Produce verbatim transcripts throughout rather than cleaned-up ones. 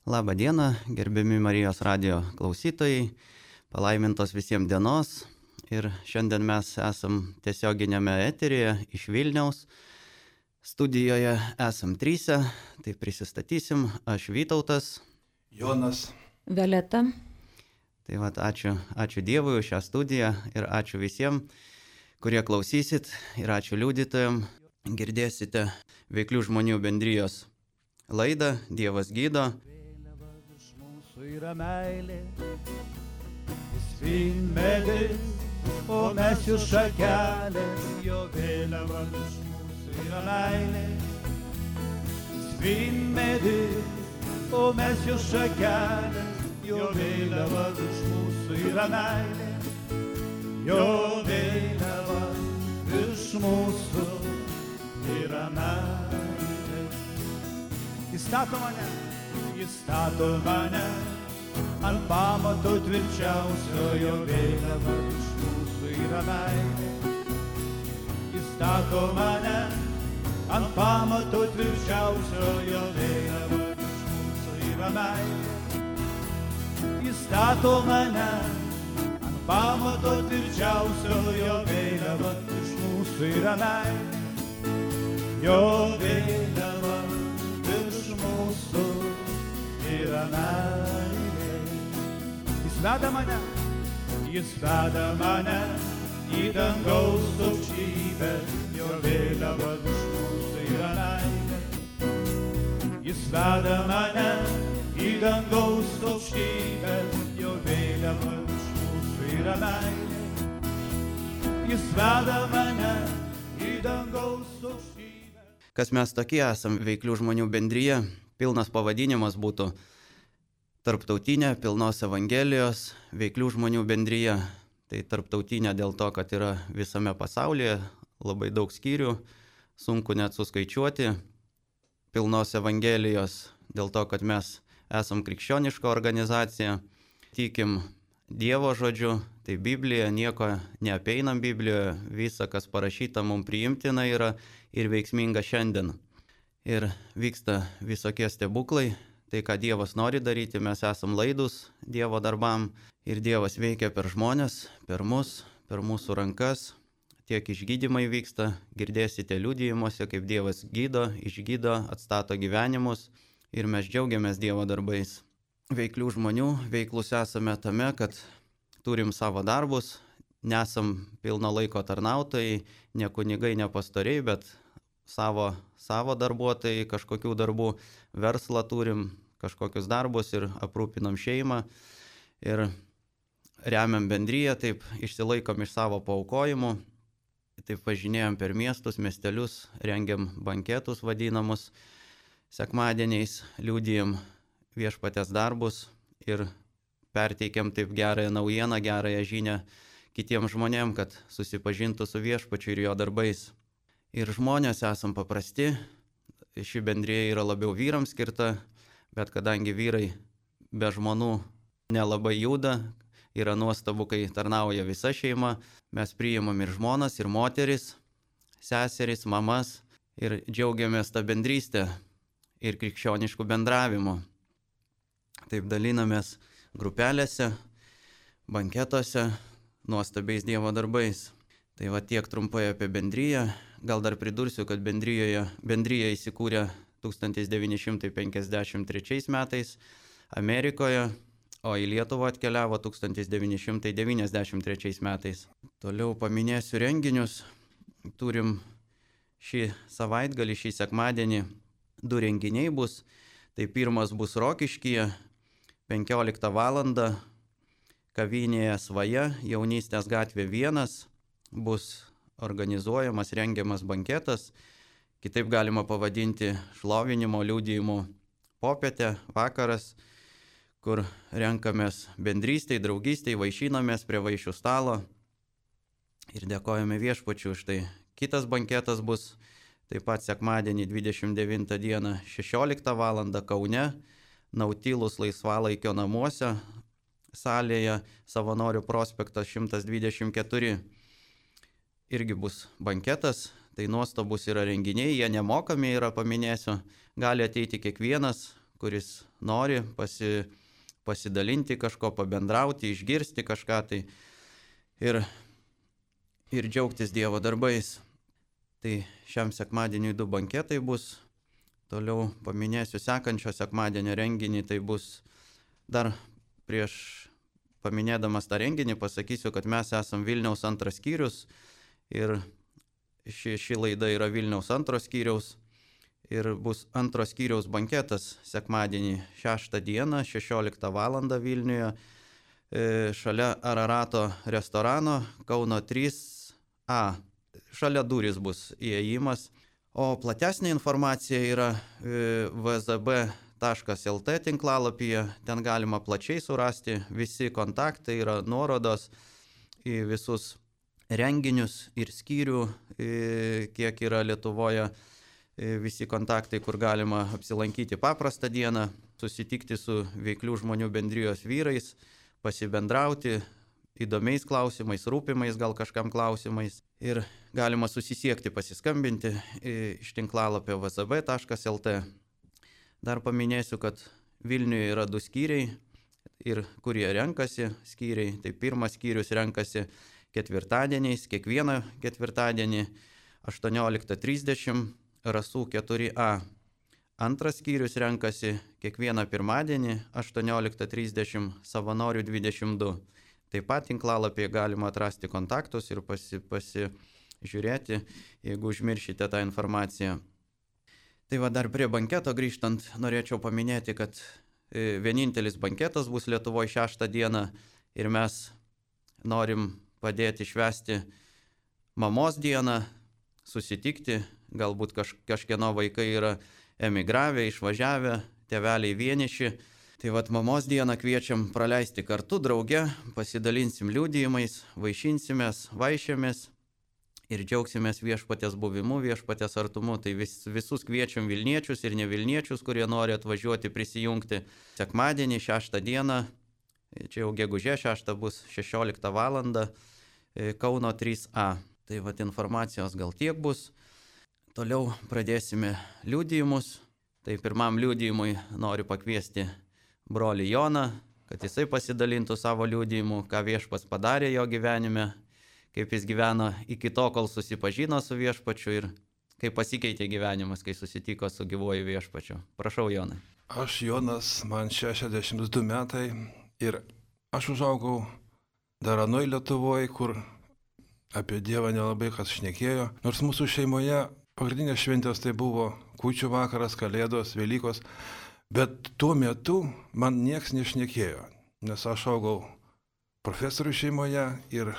Labą dieną, gerbiami Marijos radijo klausytojai, palaimintos visiems dienos. Ir šiandien mes esam tiesioginėme eteryje iš Vilniaus. Studijoje esam tryse, tai prisistatysim. Aš Vytautas. Jonas. Violeta. Tai vat, ačiū, ačiū Dievui už šią studiją ir ačiū visiems, kurie klausysit, ir ačiū liudytojams. Girdėsite Veiklių žmonių bendrijos laidą Dievas gydo. Yra meilė, jis vynmedis, o mes jų šakelės, jo vėliava virš mūsų yra meilė. Jis vynmedis, o mes jų šakelės, jo vėliava virš mūsų yra meilė. Jo vėliava virš mūsų yra meilė. Jis stato mane, jis stato mane ant pamato tvirčiausio, jo vėliava virš mūsų yra meilė. Jis stato mane ant pamato tvirčiausio, jo vėliava virš mūsų yra meilė. Jis stato mane ant pamato tvirčiausio, jo vėliava virš mūsų yra meilė. Jo vėliava virš mūsų yra meilė. Jis veda mane, jis veda mane į dangaus aukštybę, jo vėliava virš mūsų yra meilė. Jis veda mane į dangaus aukštybę, jo vėliava virš mūsų yra meilė. Jis veda mane į dangaus aukštybę. Kas mes tokie esam, Veiklių žmonių bendrija? Pilnas pavadinimas būtų Tarptautinė pilnos Evangelijos Veiklių žmonių bendrija. Tai tarptautinė dėl to, kad yra visame pasaulyje, labai daug skyrių, sunku net suskaičiuoti. Pilnos Evangelijos dėl to, kad mes esam krikščioniška organizacija, tikim Dievo žodžiu, tai Biblija, nieko neapeinam Biblijoje, visa, kas parašyta, mums priimtina yra ir veiksminga šiandien. Ir vyksta visokie stebuklai, tai ką Dievas nori daryti, mes esam laidus Dievo darbam ir Dievas veikia per žmonės, per mus, per mūsų rankas. Tiek išgydymai vyksta, girdėsite liudijimuose, kaip Dievas gydo, išgydo, atstato gyvenimus ir mes džiaugiamės Dievo darbais. Veiklių žmonių veiklus esame tame, kad turim savo darbus, nesam pilno laiko tarnautojai, ne kunigai, ne pastoriai, bet savo, savo darbuotojai, kažkokių darbų, verslą turim, kažkokius darbus ir aprūpinam šeimą ir remiam bendriją, taip išsilaikom iš savo paaukojimų, taip važinėjom per miestus, miestelius, rengiam banketus vadinamus, sekmadieniais liudijam viešpatės darbus ir perteikiam taip gerąją naujieną, gerąją žinią kitiems žmonėms, kad susipažintų su viešpačiu ir jo darbais. Ir žmonės esam paprasti, ši bendrija yra labiau vyrams skirta, bet kadangi vyrai be žmonų nelabai juda, yra nuostabu, kai tarnauja visa šeima, mes priimam ir žmonas, ir moteris, seseris, mamas ir džiaugiamės tą bendrystę ir krikščioniškų bendravimų. Taip dalinamės grupelėse, banketuose, nuostabiais Dievo darbais. Tai va tiek trumpai apie bendriją. Gal dar pridursiu, kad bendrijoje, bendrija įsikūrė tūkstantis devyni šimtai penkiasdešimt trečiais metais Amerikoje, o į Lietuvą atkeliavo tūkstantis devyni šimtai devyniasdešimt trečiais metais. Toliau paminėsiu renginius. Turim šį savaitgalį, šį sekmadienį du renginiai bus. Tai pirmas bus Rokiškyje, penkioliktą valandą, kavinėje Svaja, Jaunystės gatvė vienas, bus organizuojamas, rengiamas banketas, kitaip galima pavadinti šlovinimo, liudijimų popietę, vakaras, kur renkamės bendrystėj, draugystėj, vaišinamės prie vaišių stalo ir dėkojame viešpačiu už tai. Kitas banketas bus taip pat sekmadienį dvidešimt devintą dieną šešioliktą valandą Kaune, Nautilus laisvalaikio namuose, salėje Savanorių prospektas šimtas dvidešimt keturi. Irgi bus banketas, tai nuostabus yra renginiai, jie nemokami yra, paminėsiu, gali ateiti kiekvienas, kuris nori pasi, pasidalinti kažko, pabendrauti, išgirsti kažką tai ir, ir džiaugtis Dievo darbais. Tai šiam sekmadieniui du banketai bus. Toliau paminėsiu sekančio sekmadienio renginį, tai bus dar prieš paminėdamas tą renginį pasakysiu, kad mes esam Vilniaus antras skyrius ir ši, ši laida yra Vilniaus antros skyriaus ir bus antros skyriaus banketas sekmadienį šeštą dieną, šešioliktą valandą Vilniuje, e, šalia Ararato restorano Kauno trys A. Šalia durys bus įėjimas, o platesnė informacija yra e, v z b taškas l t tinklalapyje, ten galima plačiai surasti, visi kontaktai yra nuorodos į visus renginius ir skyrių, kiek yra Lietuvoje, visi kontaktai, kur galima apsilankyti paprastą dieną, susitikti su veiklių žmonių bendrijos vyrais, pasibendrauti įdomiais klausimais, rūpimais gal kažkam klausimais ir galima susisiekti, pasiskambinti iš tinklalapio v z b taškas l t. Dar paminėsiu, kad Vilniuje yra du skyriai, ir kurie renkasi skyriai. Tai pirmas skyrius renkasi ketvirtadieniais, kiekvieną ketvirtadienį aštuonioliktą trisdešimt Rasų keturi A. Antras skyrius renkasi kiekvieną pirmadienį aštuonioliktą trisdešimt Savanorių dvidešimt du. Taip pat tinklalapyje galima atrasti kontaktus ir pasi, pasižiūrėti, jeigu užmiršite tą informaciją. Tai va dar prie banketo grįžtant, norėčiau paminėti, kad vienintelis banketas bus Lietuvoje šeštą dieną ir mes norim padėti švęsti mamos dieną, susitikti, galbūt kaž, kažkieno vaikai yra emigravę, išvažiavę, tėveliai vieniši. Tai va mamos dieną kviečiam praleisti kartu, drauge, pasidalinsim liudijimais, vaišinsimės, vaišėmės ir džiaugsimės viešpatės buvimu, viešpatės artumu. Tai vis, visus kviečiam Vilniečius ir ne Vilniečius, kurie nori atvažiuoti, prisijungti sekmadienį, šeštą dieną, čia jau gegužė šeštą bus šešioliktą valandą, Kauno trys A. Tai va informacijos gal tiek bus. Toliau pradėsime liudijimus. Tai pirmam liudijimui noriu pakviesti brolį Joną, kad jisai pasidalintų savo liudijimu, ką viešpats padarė jo gyvenime, kaip jis gyveno iki to, kol susipažino su viešpačiu ir kaip pasikeitė gyvenimas, kai susitiko su gyvuoju viešpačiu. Prašau, Jonai. Aš Jonas, man šešiasdešimt du metai ir aš užaugau dar anoj Lietuvoje, kur apie Dievą nelabai kas šnekėjo. Nors mūsų šeimoje pagrindinės šventės tai buvo kūčių vakaras, kalėdos, Velykos, bet tuo metu man nieks nešnekėjo, nes aš augau profesorių šeimoje ir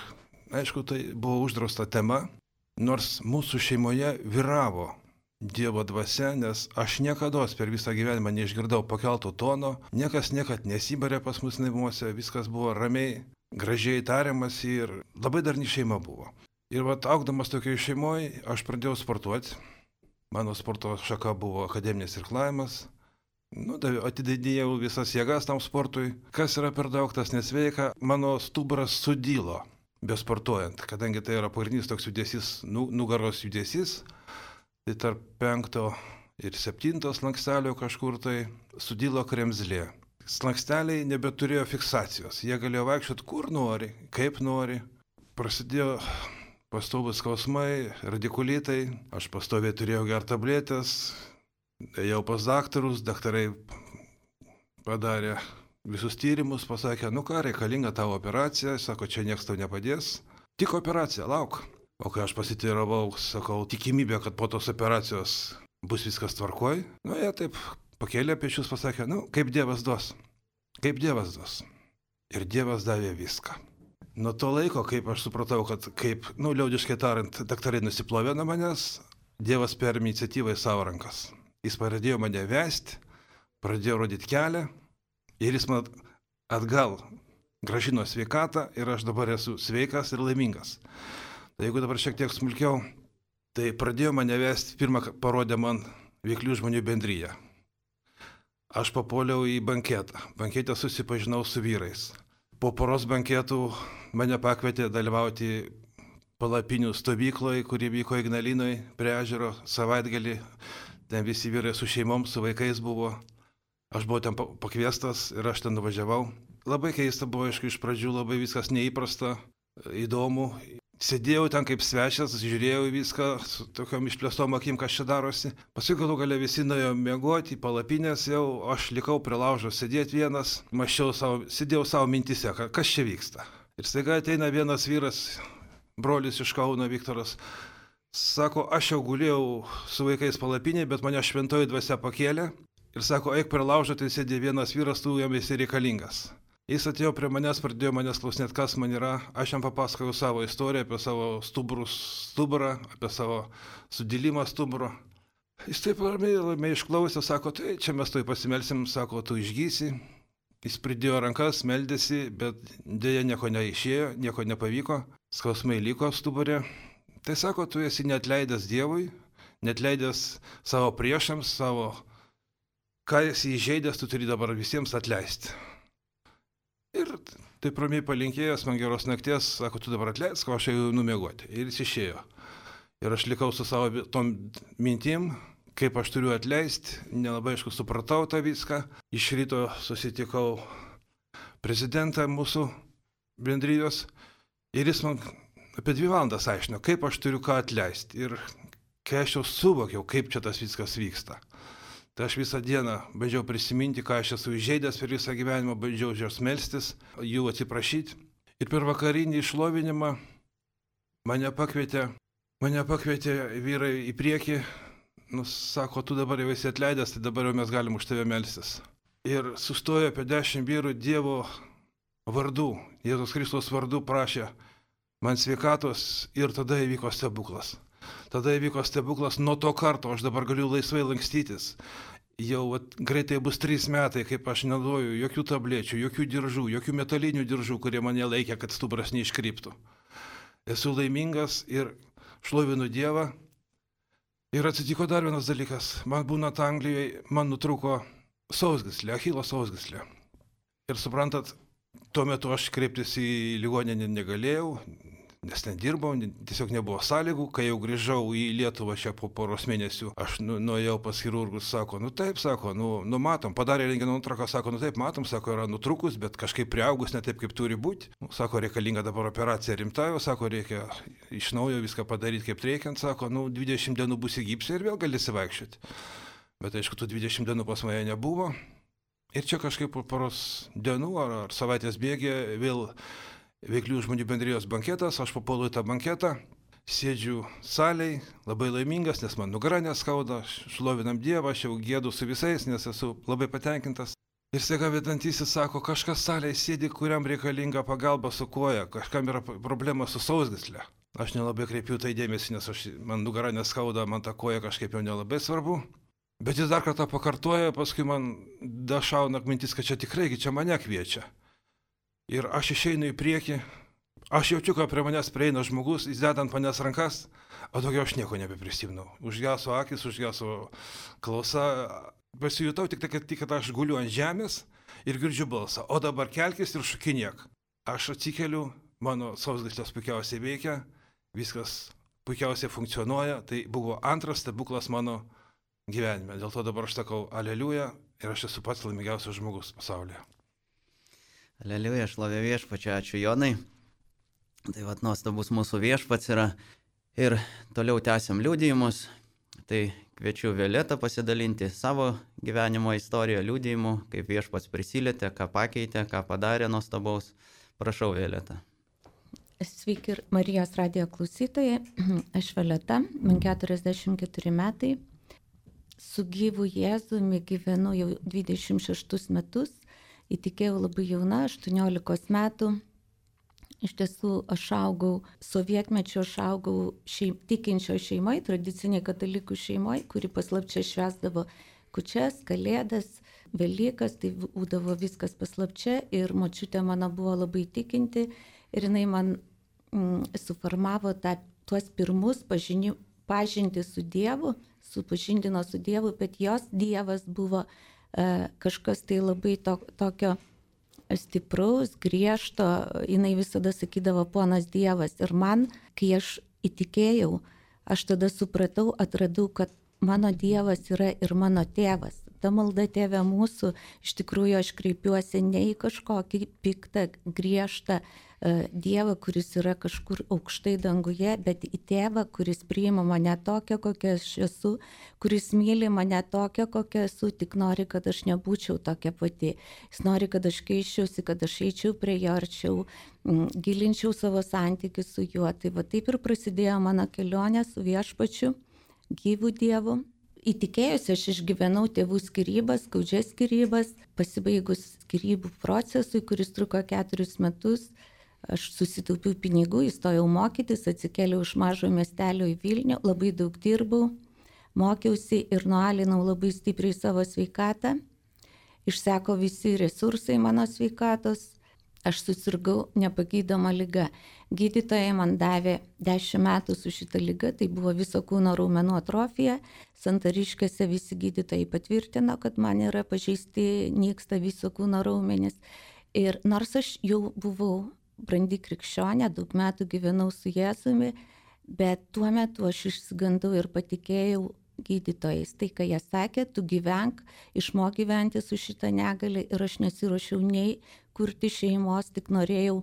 aišku, tai buvo uždrausta tema, nors mūsų šeimoje vyravo Dievo dvasia, nes aš niekada per visą gyvenimą neišgirdau pakelto tono, niekas niekad nesibarė pas mus naimuose, viskas buvo ramiai, gražiai tariamas ir labai darni šeima buvo. Ir vat augdamas tokioje šeimoje aš pradėjau sportuoti, mano sporto šaka buvo akademinis irklavimas, nu, atidėjau visas jėgas tam sportui, kas yra per daug, tas nesveika, mano stuburas sudylo. Besportuojant, kadangi tai yra pagrindinis toks judesys, nu, nugaros judesys, tai tarp penkto ir septinto slankstelio kažkur tai sudylo kremzlė. Slanksteliai nebeturėjo fiksacijos, jie galėjo vaikščioti kur nori, kaip nori. Prasidėjo pastovus skausmai, radikulitai, aš pastoviai turėjau gerti tabletės, ėjau pas daktarus, daktarai padarė visus tyrimus, pasakė, nu ką, reikalinga tavo operacija, sako, čia nieks tau nepadės, tik operacija, lauk. O kai aš pasiteiravau, sakau, tikimybė, kad po tos operacijos bus viskas tvarkoj, nu jie taip pakėlė pečius, pasakė, nu kaip Dievas duos, kaip Dievas duos. Ir Dievas davė viską. Nuo to laiko, kaip aš supratau, kad kaip, nu liaudiškai tariant, daktarai nusiplovė nuo manęs, Dievas perėmė iniciatyvą į savo rankas. Jis pradėjo mane vesti, pradėjo rodyti kelią, ir jis man atgal grąžino sveikatą ir aš dabar esu sveikas ir laimingas. Tai jeigu dabar šiek tiek smulkiau, tai pradėjo mane vesti, pirmą parodė man veiklių žmonių bendriją. Aš papuoliau į banketą. Bankete susipažinau su vyrais. Po poros banketų mane pakvietė dalyvauti palapinių stovykloje, kuri vyko Ignalinoje, prie ežero, savaitgalį. Ten visi vyrai su šeimom, su vaikais buvo. Aš buvau ten pakviestas ir aš ten nuvažiavau. Labai keista buvo, aišku, iš pradžių labai viskas neįprasta, įdomu. Sėdėjau ten kaip svečias, žiūrėjau į viską su tokiom išplėstom akim, kas čia darosi. Paskui galų gale visi nuėjo miegoti, palapinės jau, aš likau prie laužo sėdėti vienas, maščiau savo, sėdėjau savo mintise, kas čia vyksta. Ir staiga ateina vienas vyras, brolis iš Kauno, Viktoras, sako, aš jau gulėjau su vaikais palapinėje, bet mane šventoji dvasia pakėlė ir sako, eik prie laužo, tai sėdė vienas vyras, tu jam esi reikalingas. Jis atėjo prie manęs, pradėjo manęs klausinėti, kas man yra. Aš jam papasakojau savo istoriją apie savo stuburus, stuburą, apie savo sudilimą stuburo. Jis taip ramiai, ramiai išklausė, sako, tai čia mes toj pasimelsim, sako, tu išgysi. Jis pridėjo rankas, meldėsi, bet dėja nieko neišėjo, nieko nepavyko, skausmai liko stuburė. Tai sako, tu esi neatleidęs Dievui, neatleidęs savo priešams, savo, ką esi įžeidęs, tu turi dabar visiems atleisti. Ir taip ramiai palinkėjęs man geros nakties, sako, tu dabar atleisk, o aš jau numiegoti. Ir jis išėjo. Ir aš likau su savo tom mintim, kaip aš turiu atleisti, nelabai aišku supratau tą viską. Iš ryto susitikau prezidentą mūsų bendrijos ir jis man apie dvi valandas aiškino, kaip aš turiu ką atleisti. Ir kai aš jau suvokiau, kaip čia tas viskas vyksta. Tai aš visą dieną bandžiau prisiminti, ką aš esu įžeidęs per visą gyvenimą, bandžiau jos melstis, jų atsiprašyti. Ir per vakarinį išlovinimą mane pakvietė, mane pakvietė vyrai į priekį, nu, sako, tu dabar jau esi atleidęs, tai dabar jau mes galim už tave melstis. Ir sustojo apie dešimt vyrų Dievo vardu, Jėzus Kristus vardu prašė man sveikatos ir tada įvyko stebuklas. Tada įvyko stebuklas, nuo to karto aš dabar galiu laisvai lankstytis. Jau at, greitai bus trys metai, kaip aš neduoju jokių tablečių, jokių diržų, jokių metalinių diržų, kurie mane laikė, kad stuburas neiškryptų. Esu laimingas ir šlovinu Dievą. Ir atsitiko dar vienas dalykas. Man būnant Anglijoje, man nutrūko sausgyslė, Achilo sausgyslė. Ir suprantat, tuo metu aš kreiptis į ligoninę negalėjau, nes nedirbau, tiesiog nebuvo sąlygų. Kai jau grįžau į Lietuvą čia po poros mėnesių, aš nu, nuėjau pas chirurgus, sako, nu taip, sako, nu, nu matom, padarė rentgeno nuotrauką, sako, nu taip, matom, sako, yra nutrukus, bet kažkaip priaugus, ne taip, kaip turi būti. Nu, sako, reikalinga dabar operacija rimta, jau, sako, reikia iš naujo viską padaryti kaip reikiant, sako, nu, dvidešimt dienų bus į gipsą ir vėl galėsi vaikščioti. Bet aišku, tų dvidešimt dienų pas mane nebuvo. Ir čia kažkaip po poros dienų ar, ar savaitės bėgė vėl Veiklių žmonių bendrijos banketas, aš papuolu į tą banketą, sėdžiu salėj, labai laimingas, nes man nugarą neskauda, šlovinam Dievą, aš jau gėdu su visais, nes esu labai patenkintas. Ir staiga vedantysis sako, kažkas salėj sėdi, kuriam reikalinga pagalba su koja, kažkam yra problema su sausgyslė. Aš nelabai kreipiu tai dėmesį, nes aš, man nugarą neskauda, man ta koja kažkaip jau nelabai svarbu. Bet jis dar kartą pakartoja, paskui man dašauna mintis, kad čia tikrai, čia mane kviečia. Ir aš išeinu į priekį, aš jaučiu, kad prie manęs prieina žmogus, jis deda ant manęs rankas, o daugiau aš nieko nebeprisimnau. Užgeso akis, užgeso klausa, pasijutau tik tai, kad, tik, kad aš guliu ant žemės ir girdžiu balsą, o dabar kelkis ir šokinėk. Aš atsikeliu, mano sausgyslės puikiausiai veikia, viskas puikiausiai funkcionuoja, tai buvo antras stebuklas mano gyvenime. Dėl to dabar aš sakau aleliuja ir aš esu pats laimingiausias žmogus pasaulyje. Aleliuja, šlovė viešpačiui, ačiū Jonai. Tai vat nuostabus mūsų viešpats yra. Ir toliau tęsiam liudijimus. Tai kviečiu Violetą pasidalinti savo gyvenimo istoriją liudijimu, kaip viešpats prisilietė, ką pakeitė, ką padarė nuostabaus. Prašau, Violeta. Sveiki ir Marijos radijo klausytojai. Aš Violeta, man keturiasdešimt keturi metai. Su gyvu Jėzumi gyvenu jau dvidešimt šeštus metus. Įtikėjau labai jauna, aštuoniolikos metų. Iš tiesų, aš augau, sovietmečio aš augau šeim, tikinčio šeimoje, tradiciniai katalikų šeimoje, kuri paslapčia švęsdavo kūčias, kalėdas, Velykas, tai būdavo viskas paslapčia ir močiutė mano buvo labai tikinti ir jinai man mm, suformavo tą, tuos pirmus pažini, pažinti su Dievu, supažindino su Dievu, bet jos Dievas buvo kažkas tai labai to, tokio stipraus, griežto, jinai visada sakydavo ponas Dievas. Ir man, kai aš įtikėjau, aš tada supratau, atradau, kad mano Dievas yra ir mano tėvas. ta malda Tėve mūsų, iš tikrųjų aš kreipiuosi ne į kažkokį piktą, griežtą uh, Dievą, kuris yra kažkur aukštai danguje, bet į Tėvą, kuris priima mane tokią, kokia aš esu, kuris myli mane tokią, kokia esu, tik nori, kad aš nebūčiau tokia pati. Jis nori, kad aš keiščiausi, kad aš eičiau prie jo arčiau, gilinčiau savo santykius su juo. Tai va taip ir prasidėjo mano kelionė su viešpačiu, gyvų Dievu. Įtikėjusi aš išgyvenau tėvų skyrybas, skaudžias skyrybas, pasibaigus skyrybų procesui, kuris truko keturis metus, aš susitaupiau pinigų, įstojau mokytis, atsikėliau iš mažo miestelio į Vilnių, labai daug dirbau, mokiausi ir nualinau labai stipriai savo sveikatą, išseko visi resursai mano sveikatos, aš susirgau nepagydoma liga. Gydytojai man davė dešimt metų su šita liga, tai buvo viso kūno raumenų atrofija. Santariškėse visi gydytojai patvirtino, kad man yra pažeisti, nyksta viso kūno raumenys. Ir nors aš jau buvau brandi krikščionė, daug metų gyvenau su Jėzumi, bet tuo metu aš išsigandau ir patikėjau gydytojais. Tai, ką jie sakė, tu gyvenk, išmok gyventi su šitą negalę ir aš nesiruošiau nei kurti šeimos, tik norėjau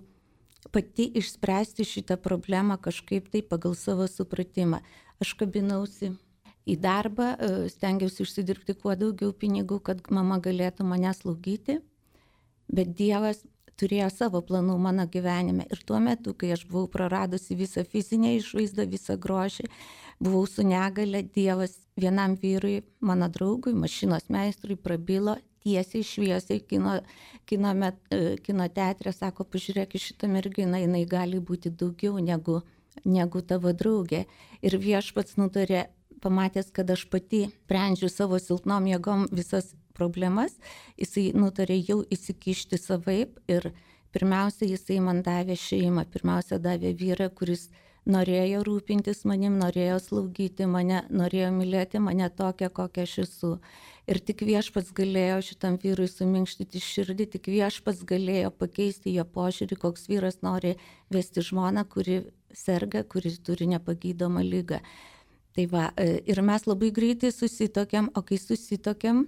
pati išspręsti šitą problemą kažkaip tai pagal savo supratimą. Aš kabinausi į darbą, stengiausi užsidirbti kuo daugiau pinigų, kad mama galėtų mane slaugyti, bet Dievas turėjo savo planų mano gyvenime. Ir tuo metu, kai aš buvau praradusi visą fizinę išvaizdą, visą grožį, buvau su negale, Dievas vienam vyrui, mano draugui, mašinos meistrui prabilo tiesiai šviesiai kino, kino, met, kino teatre, sako, pažiūrėk į šitą merginą, jinai gali būti daugiau negu, negu tavo draugė. Ir viešpats nutarė, pamatęs, kad aš pati sprendžiu savo silpnom jėgom visas problemas, jisai nutarė jau įsikišti savaip ir pirmiausia, jisai man davė šeimą, pirmiausia davė vyrą, kuris norėjo rūpintis manim, norėjo slaugyti mane, norėjo mylėti mane tokią, kokią aš esu. Ir tik viešpats galėjo šitam vyrui suminkštyti širdį, tik viešpats galėjo pakeisti jo požiūrį, koks vyras nori vesti žmoną, kuri serga, kuri turi nepagydomą ligą. Tai va, ir mes labai greitai susitokiam, o kai susitokiam,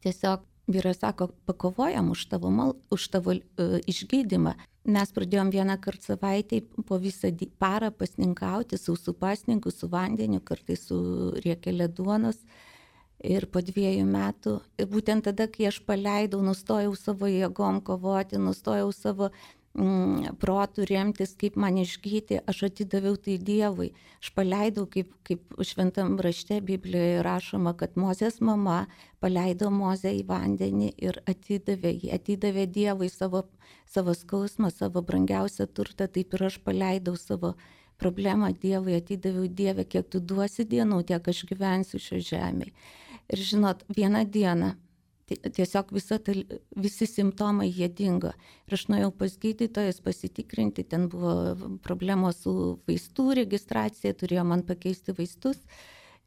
tiesiog vyras sako, pakovojam už tavo, mal, už tavo uh, išgydymą. Mes pradėjom vieną kartą savaitę po visą parą pasninkauti, sausų pasninkų, su vandeniu, kartais su riekelė duonos. Ir po dviejų metų, ir būtent tada, kai aš paleidau, nustojau savo jėgom kovoti, nustojau savo mm, protų remtis, kaip man išgyti, aš atidaviau tai Dievui. Aš paleidau, kaip, kaip šventam rašte Biblijoje rašoma, kad Mozės mama paleido Mozę į vandenį ir atidavė jį, atidavė Dievui savo, savo skausmą, savo brangiausią turtą, taip ir aš paleidau savo problemą Dievui, atidaviau Dievę, kiek tu duosi dienų, tiek aš gyvensiu šio žemėje. Ir žinot, vieną dieną tiesiog visa ta, visi simptomai jie dingo. Ir aš nuėjau pas gydytojus pasitikrinti, ten buvo problemos su vaistų registracija, turėjo man pakeisti vaistus.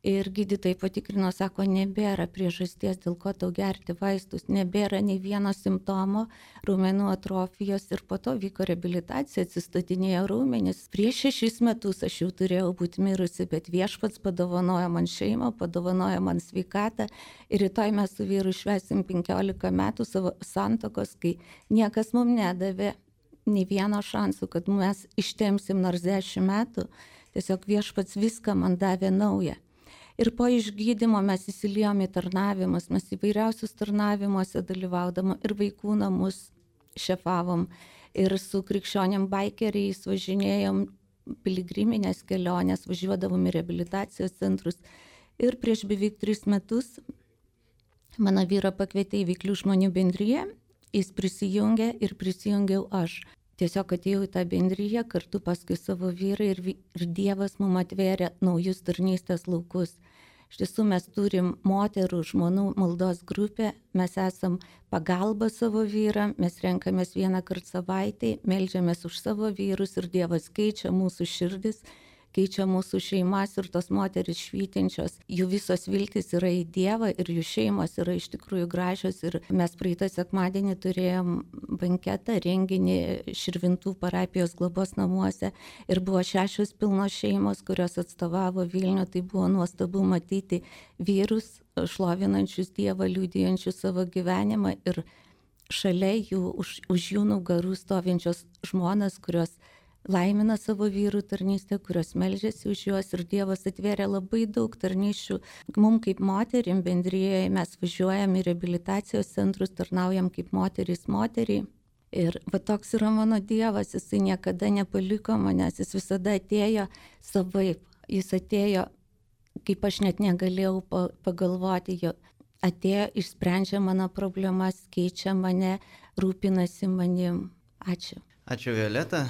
Ir gydytojai patikrino, sako, nebėra priežasties, dėl ko tau gerti vaistus, nebėra nei vieno simptomo raumenų atrofijos ir po to vyko reabilitacija, atsistatinėjo raumenys. Prieš šešis metus aš jau turėjau būti mirusi, bet viešpats padovanojo man šeimą, padovanojo man sveikatą ir rytoj mes su vyru švęsim penkiolika metų savo santokos, kai niekas mums nedavė nei vieno šansų, kad mes ištempsim nors dešimt metų, tiesiog viešpats viską man davė naują. Ir po išgydymo mes įsiliejom į tarnavimus, mes įvairiausius tarnavimuose dalyvaudama ir vaikų namus šefavom, ir su krikščionėm baikeriais važinėjom piligriminės kelionės, važiuodavom į reabilitacijos centrus. Ir prieš beveik tris metus mano vyrą pakvietė į Veiklių žmonių bendriją, jis prisijungė ir prisijungiau aš. Tiesiog atėjau į tą bendriją kartu paskui savo vyrą ir, ir Dievas mums atvėrė naujus tarnystės laukus. Iš tiesų mes turim moterų, žmonų maldos grupę, mes esam pagalba savo vyram, mes renkamės vieną kartą savaitę, meldžiamės už savo vyrus ir Dievas keičia mūsų širdis, keičia mūsų šeimas ir tos moteris švytinčios, jų visos viltis yra į Dievą ir jų šeimos yra iš tikrųjų gražios. Ir mes praeitą sekmadienį turėjom banketą, renginį Širvintų parapijos globos namuose ir buvo šešios pilnos šeimos, kurios atstovavo Vilnių. Tai buvo nuostabu matyti vyrus šlovinančius Dievą, liudijančius savo gyvenimą ir šalia jų, už, už jų nugarų stovinčios žmonas, kurios laimina savo vyrų tarnystę, kurios meldžiasi už juos ir Dievas atvėrė labai daug tarnysčių. Mums kaip moterim bendrijoje mes važiuojam į reabilitacijos centrus, tarnaujam kaip moterys moteriai. Ir va toks yra mano Dievas, jisai niekada nepaliko manęs, jis visada atėjo savaip, jis atėjo, kaip aš net negalėjau pagalvoti, jo atėjo, išsprendžia mano problemas, keičia mane, rūpinasi manim. Ačiū. Ačiū Violeta.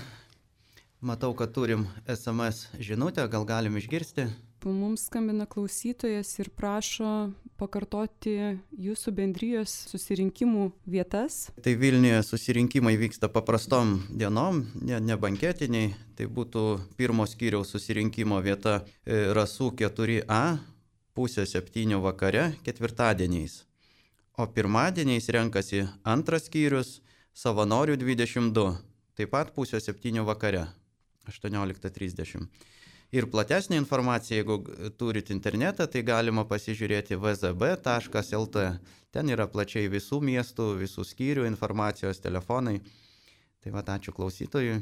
Matau, kad turim es em es žinutę, gal galim išgirsti. Mums skambina klausytojas ir prašo pakartoti jūsų bendrijos susirinkimų vietas. Tai Vilniuje susirinkimai vyksta paprastom dienom, ne, ne banketiniai. Tai būtų pirmo skyriaus susirinkimo vieta Rasų keturi a, pusė septynių vakare, ketvirtadieniais. O pirmadieniais renkasi antras skyrius, Savanorių dvidešimt du, taip pat pusė septynių vakare, aštuonioliktą trisdešimt. Ir platesnė informacija, jeigu turit internetą, tai galima pasižiūrėti v z b taškas el t. Ten yra plačiai visų miestų, visų skyrių informacijos, telefonai. Tai va, ačiū klausytojui,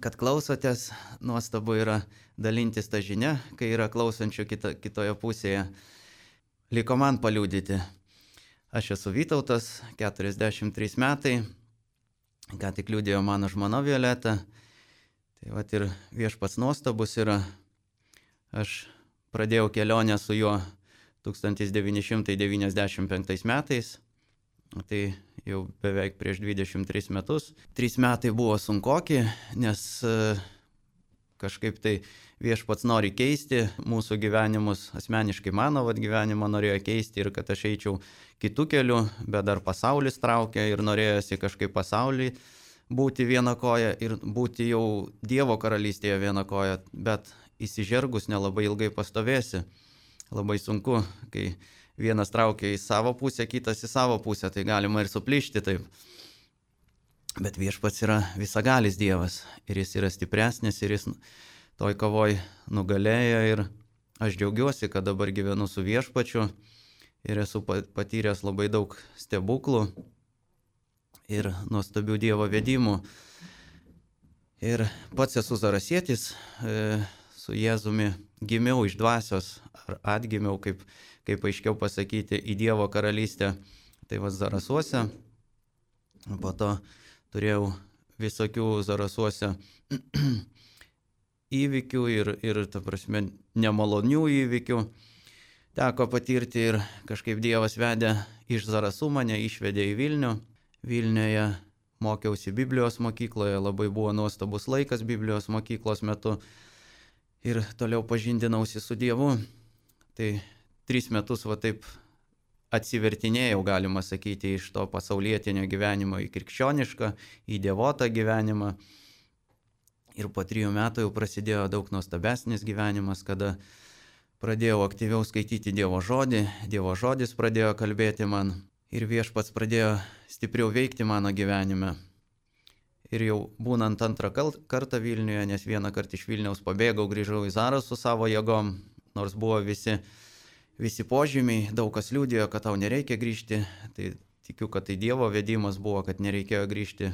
kad klausotės. Nuostabu yra dalintis tą žinią, kai yra klausančių kita, kitoje pusėje. Liko man paliudyti. Aš esu Vytautas, keturiasdešimt trys metai, ką tik liudėjo mano žmona Violeta. Tai vat ir viešpats nuostabus yra. Aš pradėjau kelionę su juo tūkstantis devyni šimtai devyniasdešimt penktais metais. Tai jau beveik prieš dvidešimt tris metus. Trys metai buvo sunkoki, nes kažkaip tai viešpats nori keisti mūsų gyvenimus. Asmeniškai mano vat, gyvenimą norėjo keisti ir kad aš eičiau kitų kelių, bet dar pasaulis traukia ir norėjosi kažkaip pasaulį būti viena koja ir būti jau Dievo karalystėje viena koja, bet įsižergus nelabai ilgai pastovėsi. Labai sunku, kai vienas traukia į savo pusę, kitas į savo pusę, tai galima ir suplyšti taip. Bet viešpats yra visagalis Dievas ir jis yra stipresnis ir jis toj kovoj nugalėjo ir aš džiaugiuosi, kad dabar gyvenu su viešpačiu ir esu patyręs labai daug stebuklų ir nuostabių Dievo vedimų. Ir pats esu zarasietis, e, su Jėzumi gimiau iš dvasios, ar atgimiau, kaip, kaip aiškiau pasakyti, į Dievo karalystę. Tai va Zarasuose. Po to turėjau visokių Zarasuose įvykių ir, ir ta prasme, nemalonių įvykių. Teko patirti ir kažkaip Dievas vedė iš Zarasų, mane išvedė į Vilnių. Vilniuje mokiausi Biblijos mokykloje, labai buvo nuostabus laikas Biblijos mokyklos metu ir toliau pažindinausi su Dievu. Tai tris metus va taip atsivertinėjau, galima sakyti, iš to pasaulietinio gyvenimo į krikščionišką, į dievotą gyvenimą. Ir po trijų metų jau prasidėjo daug nuostabesnis gyvenimas, kada pradėjau aktyviau skaityti Dievo žodį, Dievo žodis pradėjo kalbėti man. Ir viešpats pradėjo stipriau veikti mano gyvenime. Ir jau būnant antrą kartą Vilniuje, nes vieną kartą iš Vilniaus pabėgau, grįžau į Zarasų su savo jėgom, nors buvo visi, visi požymiai, daug kas liudijo, kad tau nereikia grįžti. Tai tikiu, kad tai Dievo vedimas buvo, kad nereikėjo grįžti.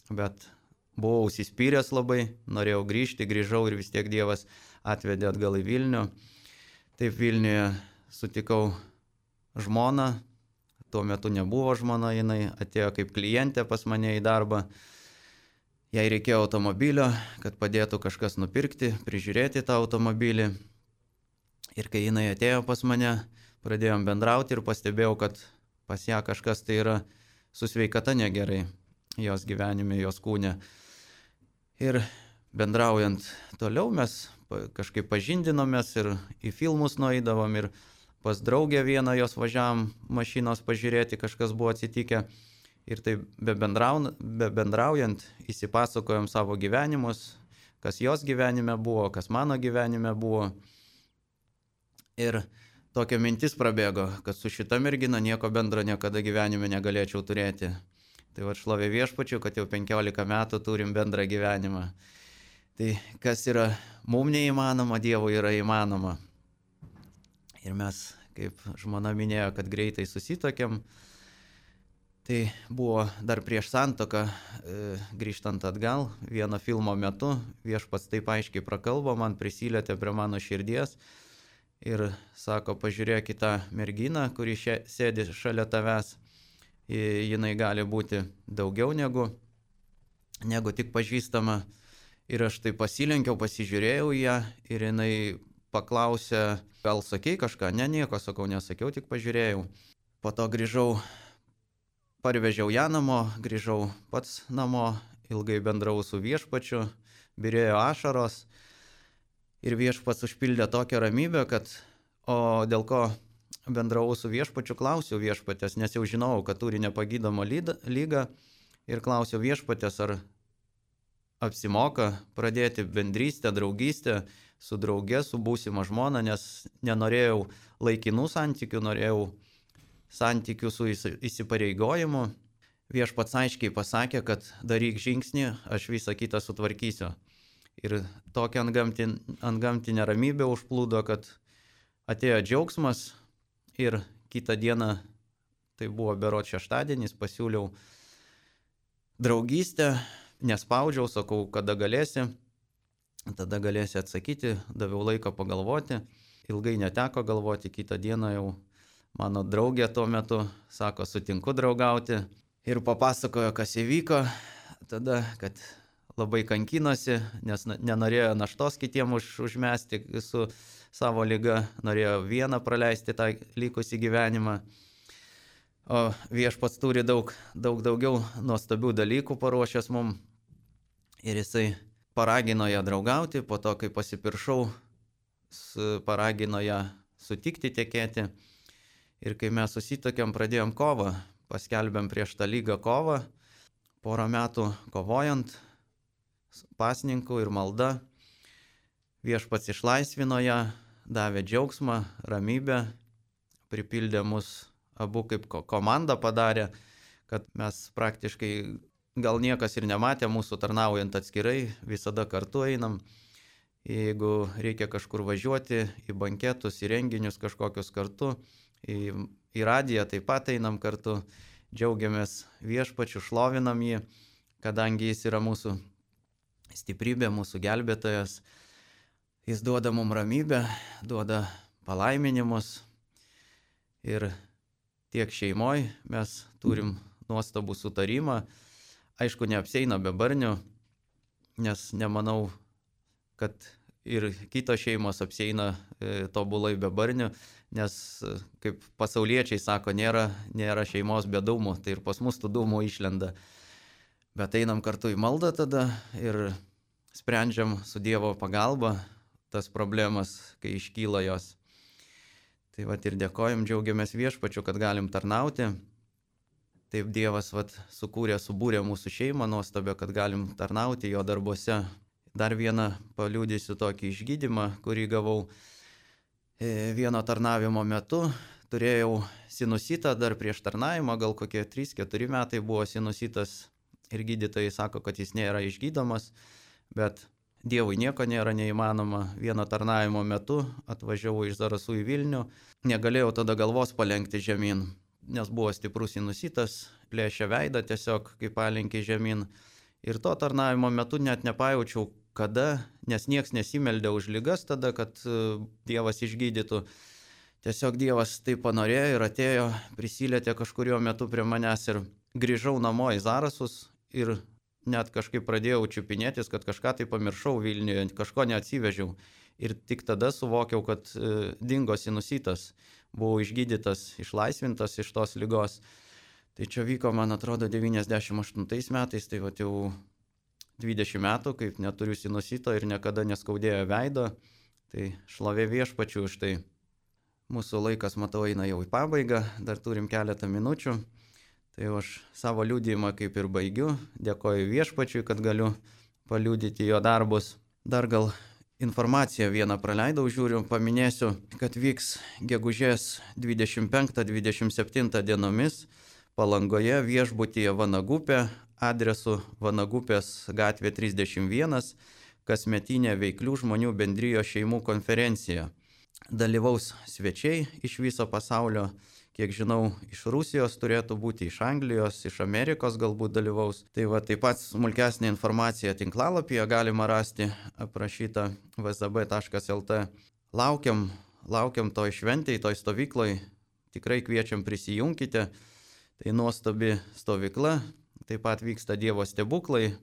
Bet buvau užsispyręs labai, norėjau grįžti, grįžau ir vis tiek Dievas atvedė atgal į Vilnių. Taip Vilniuje sutikau žmoną. Tuo metu nebuvo žmona, jinai atėjo kaip klientė pas mane į darbą. Jai reikėjo automobilio, kad padėtų kažkas nupirkti, prižiūrėti tą automobilį. Ir kai jinai atėjo pas mane, pradėjom bendrauti ir pastebėjau, kad pas ją kažkas tai yra su sveikata negerai jos gyvenime, jos kūne. Ir bendraujant toliau mes kažkaip pažindinomės ir į filmus nueidavom ir pas draugę vieną jos važiavam mašinos pažiūrėti, kažkas buvo atsitikę. Ir tai be, bendraun, be bendraujant įsipasakojom savo gyvenimus, kas jos gyvenime buvo, kas mano gyvenime buvo. Ir tokia mintis prabėgo, kad su šita mergina nieko bendro niekada gyvenime negalėčiau turėti. Tai va šlovė viešpačiu, kad jau penkiolika metų turim bendrą gyvenimą. Tai kas yra mum neįmanoma, Dievui yra įmanoma. Ir mes, kaip žmona minėjo, kad greitai susitokėm, tai buvo dar prieš santuoką, e, grįžtant atgal, vieno filmo metu viešpats taip aiškiai prakalbo, man prisilietė prie mano širdies ir sako, pažiūrėk į tą merginą, kuri šia, sėdi šalia tavęs, jinai gali būti daugiau negu, negu tik pažįstama. Ir aš tai pasilenkiau, pasižiūrėjau ją ir jinai paklausė, gal sakei kažką? Ne, nieko sakau, nesakiau, tik pažiūrėjau. Po to grįžau, parvežiau ją namo, grįžau pats namo, ilgai bendrau su viešpačiu, byrėjo ašaros ir viešpats užpildė tokią ramybę, kad, o dėl ko bendrau su viešpačiu, klausiau viešpatės, nes jau žinojau, kad turi nepagydomą lygą ir klausiau viešpatės, ar apsimoka pradėti bendrystę, draugystę su drauge, su būsima žmona, nes nenorėjau laikinų santykių, norėjau santykių su įsipareigojimu. Viešpats aiškiai pasakė, kad daryk žingsnį, aš visą kitą sutvarkysiu. Ir tokia antgamtin, antgamtinė ramybė užplūdo, kad atėjo džiaugsmas ir kitą dieną, tai buvo berods šeštadienis, pasiūliau draugystę, nespaudžiau, sakau, kada galėsi, tada galėsi atsakyti, daviau laiką pagalvoti, ilgai neteko galvoti, kitą dieną jau mano draugė tuo metu, sako, sutinku draugauti ir papasakojo, kas įvyko, tada, kad labai kankinosi, nes nenorėjo naštos kitiem už, užmesti su savo liga, norėjo vieną praleisti tą likusį gyvenimą. O viešpats turi daug, daug daugiau nuostabių dalykų paruošęs mum ir jisai paragino ją draugauti, po to, kai pasipiršau, paragino ją sutikti tekėti. Ir kai mes susitokėm, pradėjom kovą, paskelbėm prieš tą lygą kovą, porą metų kovojant, pasninkų ir malda, viešpats išlaisvino ją, davė džiaugsmą, ramybę, pripildė mus abu kaip komanda padarė, kad mes praktiškai gal niekas ir nematė mūsų tarnaujant atskirai, visada kartu einam. Jeigu reikia kažkur važiuoti, į banketus, į renginius kažkokius kartu, į, į radiją taip pat einam kartu, džiaugiamės viešpačiu, šlovinam jį, kadangi jis yra mūsų stiprybė, mūsų gelbėtojas. Jis duoda mums ramybę, duoda palaiminimus ir tiek šeimoje mes turim nuostabų sutarimą. Aišku, neapseina be barnių, nes nemanau, kad ir kitos šeimos apseina e, tobulai be barnių, nes, kaip pasauliečiai sako, nėra, nėra šeimos be dūmų, tai ir pas mus tų dūmų išlenda. Bet einam kartu į maldą tada ir sprendžiam su Dievo pagalba tas problemas, kai iškyla jos. Tai vat ir dėkojam, džiaugiamės viešpačiu, kad galim tarnauti. Taip Dievas vat sukūrė, subūrė mūsų šeimą nuostabę, kad galim tarnauti jo darbuose. Dar vieną paliudysiu tokį išgydymą, kurį gavau vieno tarnavimo metu. Turėjau sinusitą dar prieš tarnavimą, gal kokie trys keturi metai buvo sinusitas ir gydytojai sako, kad jis nėra išgydomas, bet Dievui nieko nėra neįmanoma. Vieno tarnavimo metu atvažiavau iš Zarasų į Vilnių, negalėjau tada galvos palenkti žemyn, nes buvo stiprus sinusitas, plėšė veidą tiesiog, kaip palenkė žemyn. Ir to tarnavimo metu net nepajaučiau, kada, nes nieks nesimeldė už ligas tada, kad Dievas išgydytų. Tiesiog Dievas taip panorėjo ir atėjo, prisilietė kažkurio metu prie manęs ir grįžau namo į Zarasus ir net kažkaip pradėjau čiupinėtis, kad kažką tai pamiršau Vilniuje, kažko neatsivežiau. Ir tik tada suvokiau, kad e, dingo sinusitas, buvau išgydytas, išlaisvintas iš tos ligos. Tai čia vyko, man atrodo, devyniasdešimt aštuntais metais, tai va jau dvidešimt metų, kaip neturiu sinusito ir niekada neskaudėjo veido. Tai šlovė viešpačiu už tai. Mūsų laikas, matau, eina jau į pabaigą, dar turim keletą minučių. Tai aš savo liudijimą kaip ir baigiu. Dėkoju viešpačiui, kad galiu paliudyti jo darbus. Dar gal informaciją vieną praleidau, žiūriu, paminėsiu, kad vyks gegužės dvidešimt penktą dvidešimt septintą dienomis Palangoje viešbutyje Vanagupė, adresu Vanagupės gatvė trisdešimt vienas, kasmetinė veiklių žmonių bendrijos šeimų konferencija. Dalyvaus svečiai iš viso pasaulio, kiek žinau, iš Rusijos turėtų būti, iš Anglijos, iš Amerikos galbūt dalyvaus. Tai va, taip pat smulkesnė informacija tinklalapyje galima rasti, aprašyta v z b taškas l t. Laukiam, laukiam toj šventėj, toj stovykloj, tikrai kviečiam prisijunkite. Tai nuostabi stovykla, taip pat vyksta Dievo stebuklai,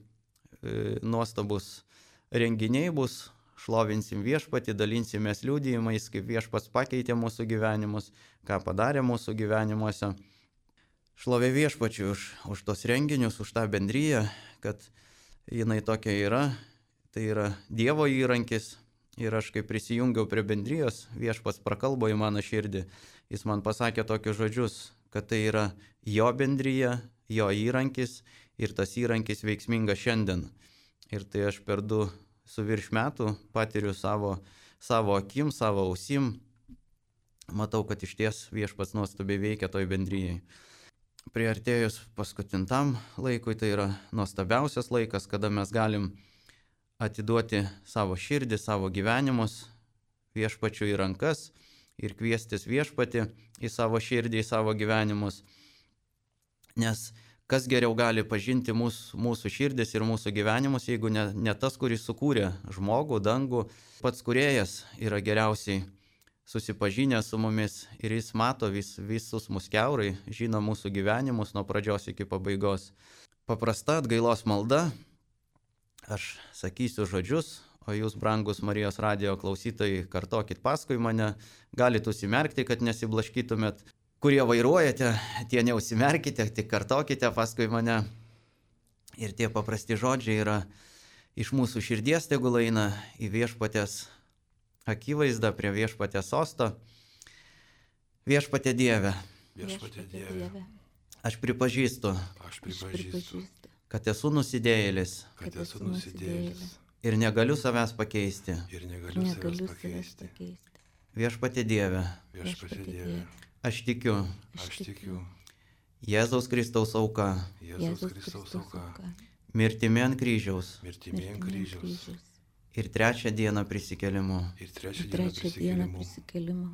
nuostabus renginiai bus, šlovinsim viešpatį, dalinsimės liudijimais, kaip viešpats pakeitė mūsų gyvenimus, ką padarė mūsų gyvenimuose. Šlovė viešpačiui už, už tos renginius, už tą bendryją, kad jinai tokia yra, tai yra Dievo įrankis. Ir aš kai prisijungiau prie bendrijos, viešpats prakalbo į mano širdį, jis man pasakė tokius žodžius, kad tai yra jo bendryja, jo įrankis ir tas įrankis veiksmingas šiandien. Ir tai aš per du su virš metų patiriu savo, savo akim, savo ausim. Matau, kad iš ties viešpats nuostabiai veikia toj bendryjai. Priartėjus paskutintam laikui, tai yra nuostabiausias laikas, kada mes galim atiduoti savo širdį, savo gyvenimus viešpačiui į rankas ir kviestis viešpatį į savo širdį, į savo gyvenimus. Nes kas geriau gali pažinti mūsų, mūsų širdis ir mūsų gyvenimus, jeigu ne, ne tas, kuris sukūrė žmogų, dangų. Pats kūrėjas yra geriausiai susipažinęs su mumis ir jis mato vis, visus mus kiaurai, žino mūsų gyvenimus nuo pradžios iki pabaigos. Paprasta atgailos malda, aš sakysiu žodžius, o jūs, brangus Marijos radijo klausytojai, kartokit paskui mane, galite užsimerkti, kad nesiblaškytumėt. Kurie vairuojate, tie neužsimerkite, tik kartokite paskui mane. Ir tie paprasti žodžiai yra iš mūsų širdies, tegul eina į viešpatės akivaizdą, prie viešpatės sosto. Viešpatie Dieve, Viešpatie Dieve, aš pripažįstu, aš pripažįstu, kad esu nusidėjėlis kad esu nusidėjėlis ir negaliu savęs pakeisti. ir negaliu savęs pakeisti. Viešpatie Dieve, Viešpatie Dieve, aš tikiu aš tikiu Jėzaus Kristaus auka, Jėzaus Kristaus auka, mirtimi ant kryžiaus mirtimi ant kryžiaus ir trečią dieną prisikėlimu. ir trečią dieną Trečią dieną prisikėlimu. prisikėlimo.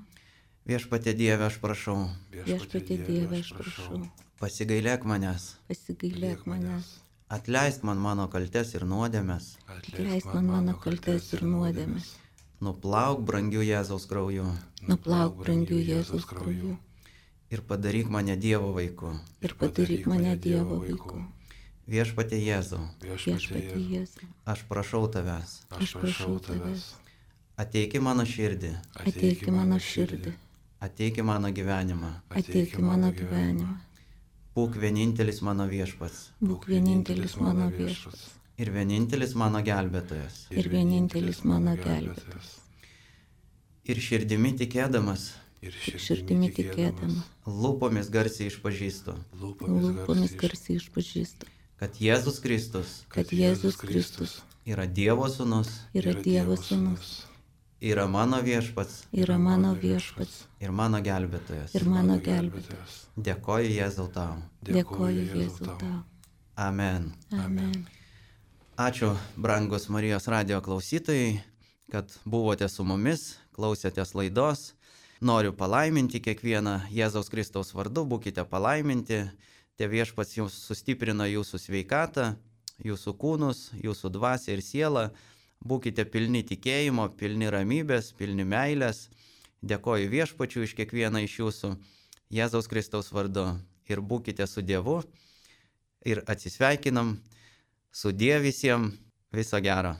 Viešpatie Dieve, aš prašau, Viešpatie Dieve, aš prašau, pasigailėk manęs, pasigailėk manęs, atleisk man mano kaltes ir nuodėmes, atleisk man mano kaltes ir nuodėmes, nuplauk brangių Jėzaus krauju nuplauk brangių Jėzaus krauju ir padaryk mane Dievo vaiku. ir padaryk mane Dievo vaiku. Viešpatie Jėzau, Viešpatie Viešpatie Jėzau, Jėzau, aš prašau tavęs, aš prašau tavęs, ateik į mano širdį, ateik į mano širdį, ateik į mano gyvenimą, ateik į mano gyvenimą, būk vienintelis mano viešpats būk vienintelis mano viešpats ir vienintelis mano gelbėtojas. ir vienintelis mano gelbėtojas. Ir širdimi tikėdamas, ir Tik širdimi tikėdama, lūpomis garsiai išpažįstu, lūpomis garsiai išpažįstu, kad Jėzus Kristus kad Jėzus Kristus yra Dievo sūnus, yra Dievo sūnus, yra mano viešpats yra mano viešpats ir mano gelbėtojas. ir mano gelbėtojas. Dėkoju Jėzau tau. Dėkoju Jėzau tau. Amen. Amen. Ačiū, brangus Marijos radijo klausytojai, kad buvote su mumis, klausėtės laidos. Noriu palaiminti kiekvieną Jėzaus Kristaus vardu, būkite palaiminti. Tie viešpats jums sustiprina jūsų sveikatą, jūsų kūnus, jūsų dvasią ir sielą. Būkite pilni tikėjimo, pilni ramybės, pilni meilės. Dėkoju viešpačiui iš kiekvieną iš jūsų Jėzaus Kristaus vardu. Ir būkite su Dievu. Ir atsisveikinam. Sudie visiems. Viso gero.